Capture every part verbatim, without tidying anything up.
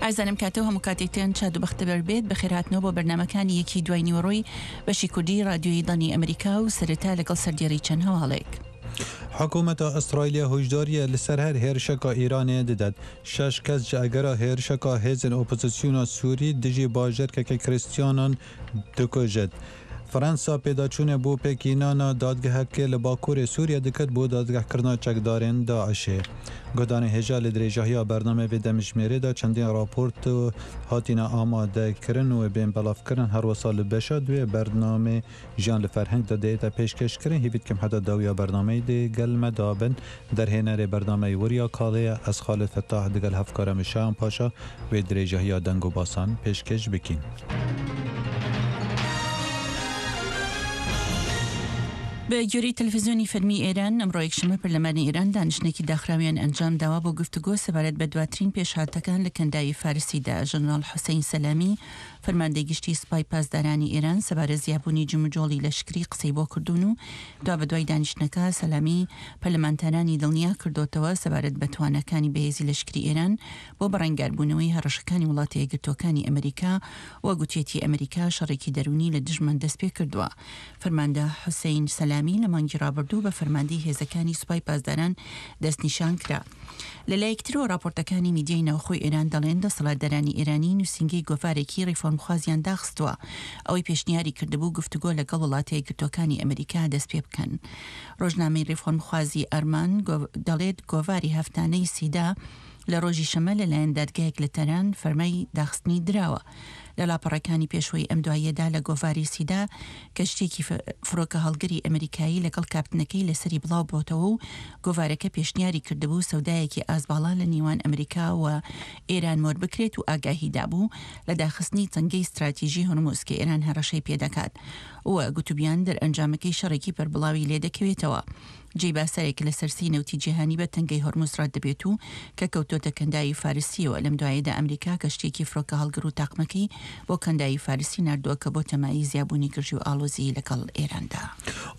ئازانم کاتەوە هەموو کاتێکتان شاد و بەختەوەر بێت. بەخێرهاتنەوە بۆ بەرنامەکانی یەکی دوای نیوەڕۆی بەشی کوردی رادیۆی دەنگی ئەمریکا و سەرەتا لەگەڵ سەردێڕی چەند هەواڵێک. حکوومەتا ئیسرائیلê هۆشداریە li ser her hêrişeka Îranê didet. Şeş kes ji egera hêrişeka hêzên opozisyona Sûrî dijî bajarkeke Krîstiyanan dikujit. Fransa pêdaçûnê bû pêkînana dadgehekê li Bakurê Sûriye diket bo dadgehkirina çekdarên DAIŞê. Guhdanê hêja li dirêjahiya bernameyê vê demjimêrê de çendîn raport hatine amadekirin û bên belavkirin her wisa li beşa duê bernameyê jiyan li ferheng de dihête pêşkêşkirin hêvî dikim heta dawiya bernameyê dê gel me dabin derhênerê bernameyê Weriya Kalê ye ez Xalid Fettah digel hevkara min Şayan Paşa wê dirêjahiya deng û basan pêşkêş bikîn. بە گوێرەی تەلەڤیزیۆنی فەرمی ئێران ئەمڕۆ یەکشەممە پەرلەمانی ئێران دانیشتنێکی داخراویان ئەنجام داوە بۆ گفتوگۆ سەبارەت بە دواترین پێشهاتەکان لە کەنداوی فارسیدا. ژەنەراڵ حوسەین سەلامی فەرماندەی گشتی سوپای پاسدارانی ئێران سەبارەت زیابوونی جموجۆڵی لەشکری قسەی بۆ کردوون و دوا بەدوای دانیشتنەکە سەلامی پەرلەمانتارانی دڵنیا کردوتەوە سەبارەت بە توانەکانی بەهێزی لەشکری ئێران بۆ بەڕەنگاربوونەوەی هەڕەشەکانی وڵاتە یەکگرتووەکانی ئەمریکا و گوتیەتی ئەمریکا شەڕێکی دەرونی لە دژمان دەست پێ کردووە. فەرماندە حوسەین سەلامی لە مانگی ڕابردوو بە فەرماندەی هێزەکانی سوپای پاسداران دەستنیشان کرا. لە لایەکترەوە راپۆرتەکانی میدیای ناوخۆی ئێران دەڵێن دەسەڵاتدارانی ئێرانی نووسینگەی گۆڤارێکی ڕیفۆرمخوازیان داخستووە ئەوەی پێشنیاری کردبوو گفتوگۆ لەگەڵ وڵاتە یەکگرتووەکانی ئەمریکا دەست پێ بکەن. ڕۆژنامەی ڕیفۆرمخوازی ئەرمان دەڵێت گۆڤاری هەفتانەی سیدا لە ڕۆژی شەمە لەلایەن دادگایەک لە تەران فەرمای داخستنی دراوە. لە لاپەڕەکانی پێشوەی ئەم دواییەدا لە گۆڤاری سیدا کەشتێکی فڕۆکە هەڵگری ئەمریکایی لەگەڵ کاپتنەکەی لەسەری بڵاو بۆتەوە و گۆڤارەکە پێشنیاری کردبوو سەودایەکی ئازباڵا لە نێوان ئەمریکا و ئێران مۆر بکرێت و ئاگاهی دابوو لە داخستنی تەنگەی استراتیژی هورمز کە ئێران هەڕەشەی پێدەکات و گوتوبیان دەرئەنجامەکەی شەڕێکی پەربڵاوی لێدەکەوێتەوە. جێی باسەرێک لە سەرسی نەوتی جیهانی بە تەنگەی هورمز ڕەت دەبێت و کە کەوتۆتە کەنداوی فارسیەوە. لەم دوایەدا ئەمریکا کەشتێکی فڕۆکە هەڵگر و تاقمەکەی بۆ کەنداوی فارسی ناردووە کە بۆ تەمایی زیابوونی گرژی و ئاڵۆزی لەگەڵ ئێراندا.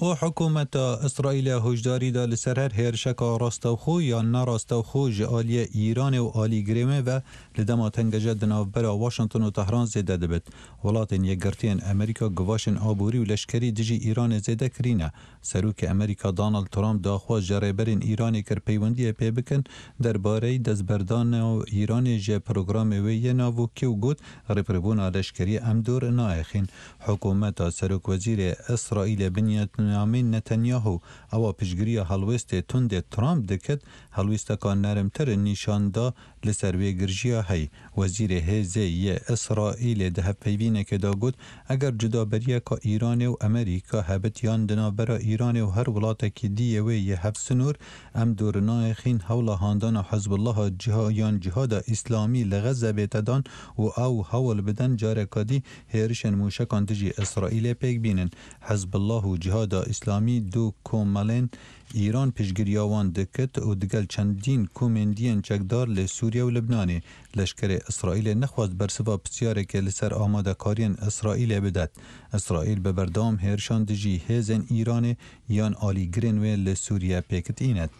و حکوومەتە ئیسرائیلە هۆشداریدا لەسەر هەر هێرشەکە ڕاستەوخۆ یان ناڕاستەوخۆ ji aliyê Îranê û alîgirê wê ve li dema tengeje di navbera Washington û Tehran zêde dibit. Welatên Yekgirtiyên Amerîka guvaşên aborî û leşkerî dijî Îranê zêde kirîne. Serokê Amerîka Donald Trump daxwaz ji rêberên Îranê kir peywendiyê pê bikin derbareyê destberdana Îranê ji programê wê yê navokî û got rêberibûna leşkerî em dûr naexîn. Hikûmeta Serokwezîrê Îsraîlê Benjamin Netanyahu ewa piştgiriya helwestê tundê Trump diket helwesteka nermtir nîşan da li ser wê girjiya hey. Wezîrê hêzê yê Îsraîlê di hevpeyvînekê de got eger cudaberiyeka Îranê û Amerîka hebit yan di navbera Îranê û her welatekî diyê wê yê hevsinûr em dûr naexîn hewla handana Hizbullaha yan cîhada Îslamî li Xezze bête dan û ew hewl bidin careka dî hêrişên mûşekan dijî Îsraîlê pêk bînin. Hizbullah û cîhada Îslamî du komelên Îran piştgiriya wan diket û digel çendîn komêndiyên çekdar li Sûriye û Libnanê. Leşkerê Îsraîlê nexwast bersiva pirsyarekê li ser amadekariyên Îsraîlê bidet. Îsraîl bi berdewam hêrişan dijî hêzên Îranê yan alîgirên wê li Sûriye pêk tînet.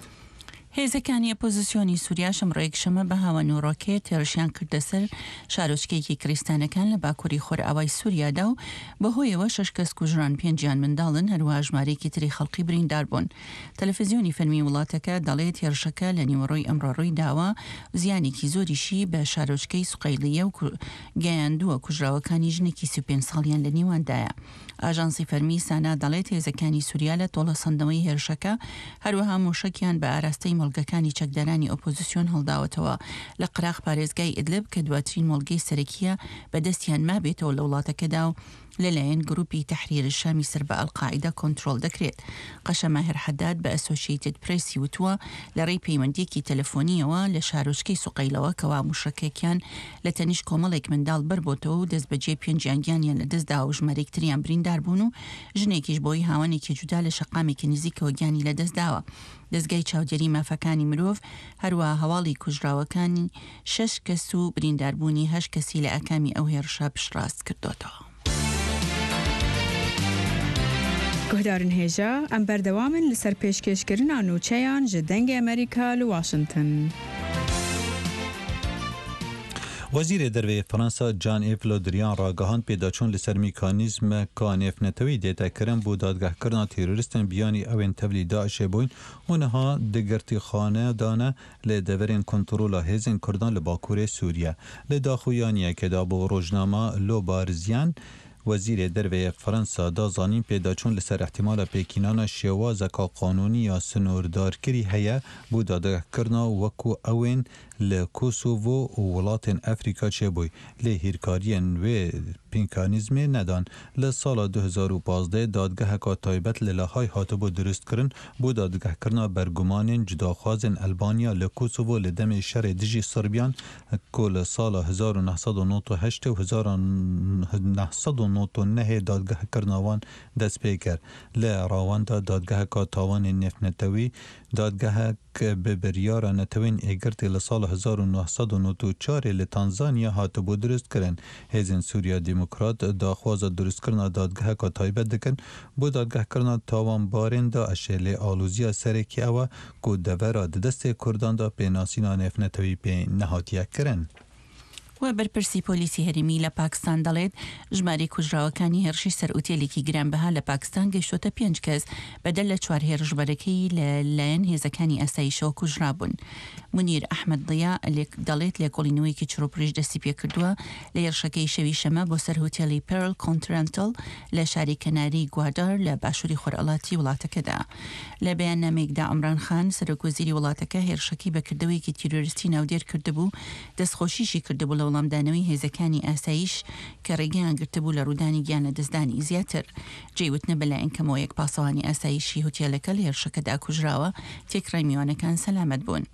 هێزەکانی ئۆپۆزیسیۆنی سووریا ئەمڕۆ یەکشەممە بە هاوەن و ڕۆکێت هێرشیان کردە سەر شارۆچکەیەکی کریستانەکان لە باکووری خۆرئاوای سووریادا و بەهۆیەوە شەش کەس کوژران، پێنجیان منداڵن، هەروەها ژمارەیەکی تری خەڵقی بریندار بوون. تەلەڤیزیۆنی فەرمی وڵاتەکە دەڵێت هێرشەکە لە نیوەڕۆی ئەمڕۆ ڕووی داوە، زیانێکی زۆریشی بە شارۆچکەی سوقەیلیە و گەیاندووە، کوژراوەکانی ژنێکی سی و پێنج ساڵیان لە نێواندایە. ئاژانسی فەرمی سانا دەڵێت هێزەکانی سووریا لە تۆڵەسەندنەوەی هێرشەکە هەروەها موشەکیان بە ئاراستەی مۆڵگەکانی چەکدارانی ئۆپۆزیسیۆن هەڵداوەتەوە لە قراق پارێزگای ئیدلب کە دواترین مۆڵگەی سەرەکیە بەدەستیان مابێتەوە لە وڵاتەکەدا و لەلایەن گروپی تەحریر شامی سەر بە ئەلقاعیدە کۆنترۆڵ دەکرێت. قەشە ماهر حەداد بە ئەسۆشیتد پرێسی وتووە لە ڕێی پەیوەندیەکی تەلەفۆنیەوە لە شارۆچکەی سوقەیلەوە کەوا موشەکێکیان لە تەنیشت کۆمەڵێک منداڵ بەربۆتەوە و دەستبەجێ پێنجیان گیانیان لەدەستداوە و ژمارەیەک تریان بریندار بوون و ژنێکیش بۆی هاوانێکی جودا لە شەقامێکی نزیکەوە گیانی لەدەستداوە. دەستگای چاودێری مافەکانی مرۆڤ هەروەها هەواڵی کوژراوەکانی شەش کەس و برینداربوونی هەشت کەسی لە ئاکامی ئەو هێرشە پشتڕاست کردوتەوە. گوهدارن هێژا ئەم بەردەوامن لەسەر پێشکێشکردنا نوچەیان ji دەنگی ئەمریکا لە واشنگتن. وەزیرێ دەرڤەیێ فەرەنسا جان ئیف لۆدریان ڕاگەهاند پێداچوون لەسەر میکانیزمەکا نێڤنەتەوەیی دێتە کرن بۆ دادگەهکردنا تیرۆریستێن بیانی ئەوێن تەڤلی داعشێ بووین و نها د گرتیخانەدانە لە دەڤەرێن کۆنترۆلا هێزێن کوردان لە باکوورێ سووریە. لە داخویانیەکێدا بۆ ڕۆژنامە لۆ بارزیان وەزیرێ دەرڤەیێ فەرەنسا دا زانین پێداچوون لەسەر ئیحتیمالا پێکهینانا شێوازەکا قانوونی یا سنووردارکری هەیە بۆ دادگەهکردنا وەکوو ئەوێن لە کۆسۆڤۆ و وڵاتێن ئەفریکا چێبووی، لێ هیرکاریێن وێ میکانیزمێ نەدان. لە ساڵا دو هەزار و پازدە دادگەهەکا تایبەت لە لاهای هاتبوو دروستکردن بۆ دادگەهکردنا بەرگومانێن جوداخوازێن ئەلبانیا لە کۆسۆڤۆ لە دەمێ شەڕێ دژی سربیان کو لە ساڵا هەزار و نۆ سەد و نۆد و هەشت و هەزار و نۆ سەد و نۆد و نۆ دادگەهکردنا وان دەست پێ کرد. لە ڕاوەندا دادگەهەکا تاوانێن نێڤنەتەوەیی دادگەهەک بە بریارا نەتەوەیێن یەکگرتî لە ساڵا هەزار و نۆ سەد و نۆد و چوار لە تانزانیا هاتبوو دروستکردن. هێزێن سووریا دیموکرات داخوازا دروستکردنا دادگەهەکا تایبەت دکن بۆ دادگەهکردنا تاوانبارێن داعشێ، لێ ئالۆزییا سەرەکî ئەوە کو دەڤەرا د دەستێ کورداندا پێناسینا نێڤنەتەوەیی پێ نەهاتیە کرن. و بەرپرسی پۆلیسی هەرێمی لە پاکستان دەڵێت ژمارەی کوژراوەکانی هێرشی سەر ئوتێلێکی گرانبەها لە پاکستان گەیشتۆتە پێنج کەس، بەدەر لە چوار هێرشبەرەکەی لە لایەن هێزەکانی ئاسایشەوە کوژرابوون. مونیر ئەحمەد ضیا دەڵێت لێکۆڵینەوەیەکی چڕوپڕیش دەستی پێکردووە لە هێرشەکەی شەوی شەمە بۆ سەر هوتێلی پێرل کۆنترەنتڵ لە شاری کەناری گوادار لە باشووری خۆرئەڵاتی وڵاتەکەدا. لە بەیاننامەیەکدا عمران خان سەرۆک وەزیری وڵاتەکە هێرشەکەی بە کردەوەیەکی تیرۆریستی ناودێر کردبوو، دەستخۆشیشی کردبوو لە وەڵامدانەوەی هێزەکانی ئاسایش کە ڕێگەیان گرتبوو لە ڕوودانی گیان لەدەستدانی زیاتر. جێی وتنە بەلایەن کەمەوە یەک پاسەوانی ئاسایشی هوتێلەکە لە هێرشەکەدا کوژراوە، تێکڕای میوانەکان سەلامەت بوون.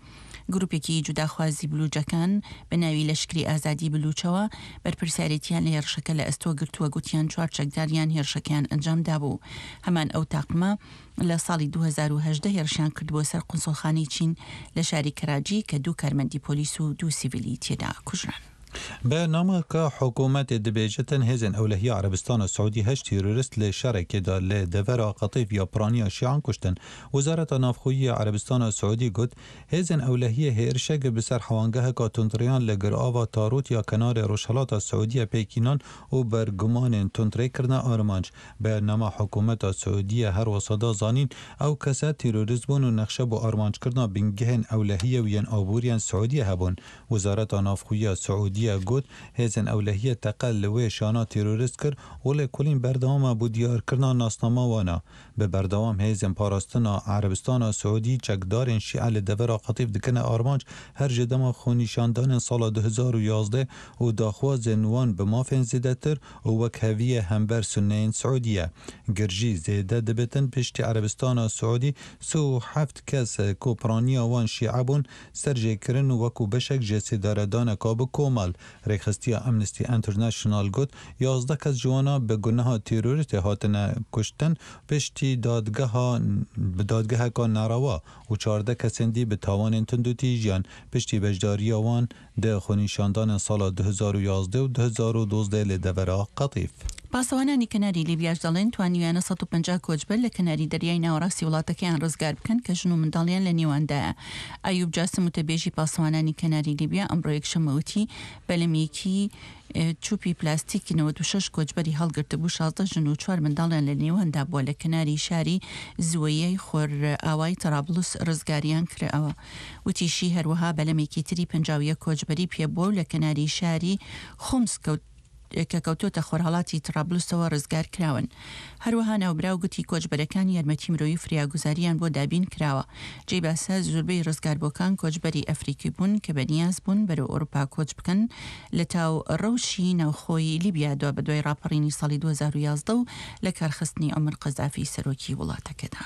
گروپێکی جوداخوازی بلوجەکان بە ناوی لەشکری ئازادی بلوچەوە بەرپرسیارێتیان لە هێرشەکە لە ئەستۆ گرتووە، گوتیان چوار چەکداریان هێرشەکەیان ئەنجام دابوو. هەمان ئەو تاقمە لە ساڵی دوو هەزار و هەژدە هێرشیان کردبووە سەر قونسڵخانەی چین لە شاری کەراجی کە دوو کارمەندی پۆلیس و دوو سیڤیلی تێدا کوژران. بەرنامەکە حکوومەتێ دەبێژێتن هێزێن ئەولەهییا عەرەبستانا سعودی هەشت تیرۆریست لە شەڕێکێدا لە دەڤەرا قەتیف یا پرانیا شیعان کوشتن. وەزارەتا ناوخۆیی عەرەبستانا سعودی گوت هێزێن ئەولەهیە هێرشەک بسەر حەوانگەهەکا توندڕیان لە گرئاوا تاروت یا کەنارێ ڕۆژهەڵاتا سعودیە پێکینان و بەرگومانێن توندڕێ کردنە ئارمانج. بەرنامە حکوومەتا سعودیە هەروەسا دا زانین ئەو کەسە تیرۆریست بوون و نەخشە بۆ ئارمانجکردنا بنگەهێن ئەولەهیە و یەن ئابووریان سعودیە هەبوون. وەزارەتا ناوخۆیی سعودیە گوت هێزێن ئەولەهیە تەقە لەوێ شانا تیرۆریست کرد و لێکۆڵین بەردەوامە بۆ دیارکردنا ناسنامە وانە. بە بەردەوام هێزێن پاراستنا عەرەبستانا سعودی چەکدارێن شیعە لە دەڤەرا قەتیف دکەنە ئارمانج هەر ji dema xwenîşandanên sala du hezar û yazdeh û daxwazên wan bi mafên zêdetir û wekheviyê hember sunneyên Siûdiye. Girjî zêde dibitin piştî Erebistana Siûdî sê û heft kes ku piraniya wan şîe bûn serjêkirin wekû beşek ji sêdaredaneka bi komel. Rêxistiya Amnesty International got yazdeh kes ji wana bi guneha terorîstê hatine kuştin piştî dadgeha bi dadgeheka nerewa û çardeh kesên dî bi tawanên tundûtîjiyan piştî beşdariya wan di xwenîşandanên sala du hezar û yazdeh û du hezar û dozdeh li devera Qetîf. پاسەوانانی کەناری لیبیاش دەڵێن توانیویانە سەد و پەنجا کۆچبەر لە کەناری دەریای ناوەڕاستی وڵاتەکەیان ڕزگار بکەن کە ژن و منداڵیان لە نێواندایە. ئەیوب جاسم وتەبێژی پاسەوانانی کەناری لیبیا ئەمڕۆ یەکشەممە وتی بەلەمێکی چوپی پلاستیکی نەوەد و شەش کۆچبەری هەڵگرتبوو، شازدە ژن و چوار منداڵیان لە نێواندا بووە لە کەناری شاری زوەیەی خۆرئاوای تەرابلوس ڕزگاریان کراوە. وتیشی هەروەها بەلەمێکی تری پەنجا و یەک کۆچبەری پێبووە و لە کەناری شاری خومس کەوت کە کەوتۆتە خۆرهەڵاتی ترابلوسەوە ڕزگار کراون. هەروەها ناوبراو گوتی کۆچبەرەکان یارمەتی مرۆیی فریاگوزاریان بۆ دابین کراوە. جێی باسە زۆربەی ڕزگاربووەکان کۆچبەری ئەفریکی بوون کە بەنیاز بوون بەرەو ئەوروپا کۆچ بکەن لە تاو ڕەوشی ناوخۆی لیبیا دوا بەدوای ڕاپەڕینی ساڵی دوو هەزار و یازدە و لە کارخستنی عومەر قەزافی سەرۆکی وڵاتەکەدا.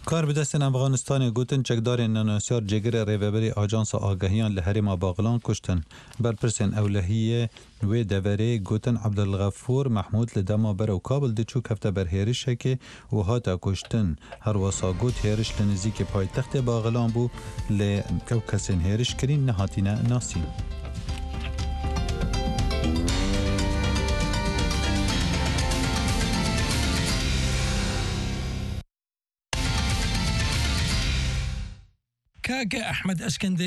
کار بەدەستێن ئەفغانستانێ گوتن چەکدارێن نەناسیار جێگرێ ڕێڤەبەری ئاژانسا ئاگەهیان لە هەرێما باغلان کوشتن. بەرپرسێن ئەولەهیێ وێ دەڤەرێ گوتن عەبدولغەفوور مەحموود لە دەما بەرەو کابل دچوو کەفتە بەر هێرشێکێ و هاتە کوشتن. هەروەسا گوت هێرش لە نزیکê پایتەختێ باغلان بوو لێ ئەو کەسên هێرش کرین نەهاتینە ناسین. کاکە ئەحمەد ئەسکەندەری